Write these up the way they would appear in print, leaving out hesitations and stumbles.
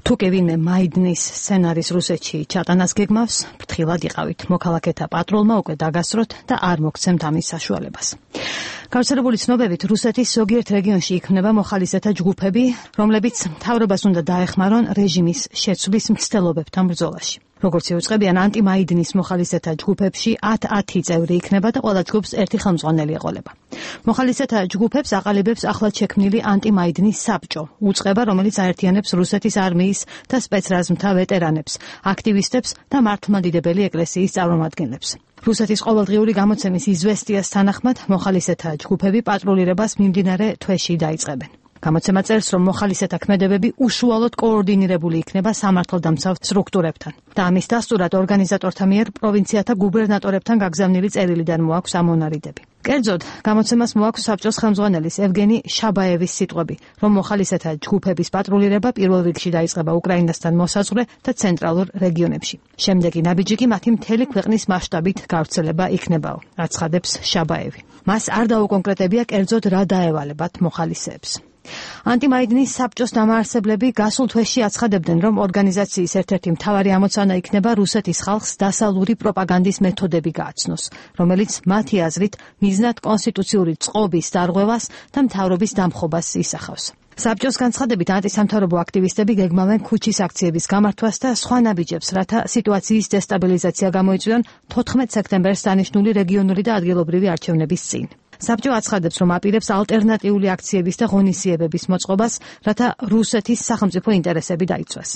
თუ კი ვინმე მაიდნის სცენარის რუსეთში ჩატანას გეგმავს, ფრთხილად იყავით. მოქალაქეთა პატრულმა უკვე დაგასწროთ და არ მოგცემთ ამის საშუალებას. გავრცელებული ცნობებით რუსეთის ზოგიერთ რეგიონში იქმნება მოხალისეთა ჯგუფები, რომლებიც მთავრობას უნდა დაეხმარონ რეჟიმის შეცვლის მცდელობებთან ბრძოლაში. როგორც იუწყებიან, ანტიმაიდნის მოხალისეთა ჯგუფებში 10 წევრი იქნება და ყველა ჯგუფს ერთი ხელმძღვანელი ეყოლება. მოხალისეთა ჯგუფებს აყალიბებს ახლად შექმნილი ანტიმაიდნის საბჭო, უწყება, რომელიც აერთიანებს რუსეთის არმიის და სპეცრაზმთა ვეტერანებს, აქტივისტებს და მართლმადიდებელი ეკლესიის წარმომადგენლებს. რუსეთის ყოველდღიური გამოცემის იზვესტიას თანახმად მოხალისეთა ჯგუფები პატრულირებას მიმდინარე თვეში დაიწყებენ. გამოცემა წერს, რომ მოხალისეთა ქმედებები უშუალოდ კოორდინირებული იქნება სამართალდამცავ სტრუქტურებთან და ამის დასტურად ორგანიზატორთა მიერ პროვინციათა გუბერნატორებთან გაგზავნილი წერილიდან მოაქვს ამონარიდები. კერძოდ, გამოცემას მოაქვს საბჭოს ხელმძღვანელის ევგენი შაბაევის სიტყვები, რომ მოხალისეთა ჯგუფების პატრულირება პირველ რიგში დაიწყება უკრაინასთან მოსაზღვრე და ცენტრალურ რეგიონებში. შემდეგი ნაბიჯი კი მათი მთელი ქვეყნის მასშტაბით გავრცელება იქნებაო, აცხადებს შაბაევი. მას არ დაუკონკრეტებია კერძოდ რა დაევალებათ მოხალისეებს. ანტიმაიდნის საბჭოს დამაარსებლები გასულ თვეში აცხადებდნენ, რომ ორგანიზაციის ერთ-ერთი მთავარი ამოცანა იქნება რუსეთის ხალხს დასავლური პროპაგანდის მეთოდები გააცნოს, რომელიც მათი აზრით მიზნად კონსტიტუციური წყობის დარღვევას და მთავრობის დამხობას ისახავს. საბჭოს განცხადებით ანტისამთავრობო აქტივისტები გეგმავენ ქუჩის აქციების გამართვას და სხვა ნაბიჯებს, რათა სიტუაციის დესტაბილიზაცია გამოიწვიონ 14 სექტემბერს დანიშნული რეგიონული და ადგილობრივი არჩევნების წინ. საბჭო აცხადებს, რომ აპირებს ალტერნატიული აქციების და ღონისძიებების მოწყობას, რათა რუსეთის სახელმწიფო ინტერესები დაიცვას.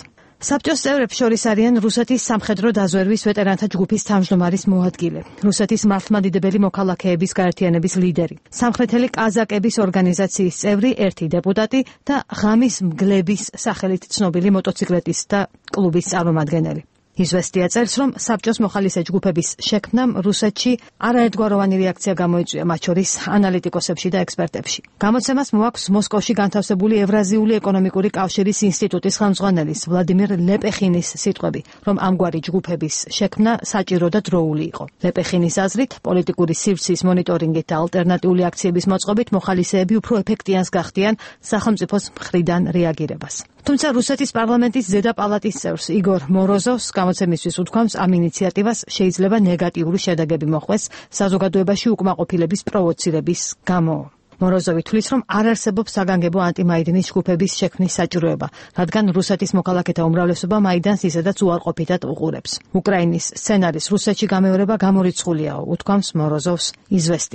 საბჭოს წევრებს შორის არიან რუსეთის სამხედრო დაზვერვის ვეტერანთა ჯგუფის თავმჯდომარის მოადგილე, რუსეთის მართლმადიდებელი მოქალაქეების გაერთიანების ლიდერი, სამხრეთელი კაზაკების ორგანიზაციის წევრი, ერთი დეპუტატი და ღამის მგლების სახელით ცნობილი მოტოციკლეტისტთა კლუბის წარმომადგენელი. იზვესტია წერს, რომ საბჭოს მოხალისე ჯგუფების შექმნამ რუსეთში არაერთგვაროვანი რეაქცია გამოიწვია, მათ შორის ანალიტიკოსებში და ექსპერტებში. გამოცემას მოაქვს მოსკოვში განთავსებული ევრაზიული ეკონომიკური კავშირის ინსტიტუტის ხელმძღვანელის ვლადიმირ ლეპეხინის სიტყვები, რომ ამგვარი ჯგუფების შექმნა საჭირო და დროული იყო. ლეპეხინის აზრით, პოლიტიკური სივრცის მონიტორინგით და ალტერნატიული აქციების მოწყობით მოხალისეები უფრო ეფექტიანს გახდიან სახელმწიფოს მხრიდან რეაგირებას. თუმცა რუსეთის პარლამენტის ზედა პალატის წევრს იგორ მოროზოვს გამოცემისთვის უთქვამს, ამ ინიციატივას შეიძლება ნეგატიური შედეგები მოხვდეს საზოგადოებაში უკმაყოფილების პროვოცირების გამო. მოროზოვი თვლის, რომ არ არსებობს საგანგებო ანტიმაიდნის ჯგუფების შექმნის საჭიროება, რადგან რუსეთის მოქალაქეთა უმრავლესობა მაიდანს ისედაც უარყოფითად უყურებს. უკრაინის სცენარის რუსეთში გამეორება გამორიცხულიაო, უთქვამს მოროზოვს იზვესტია.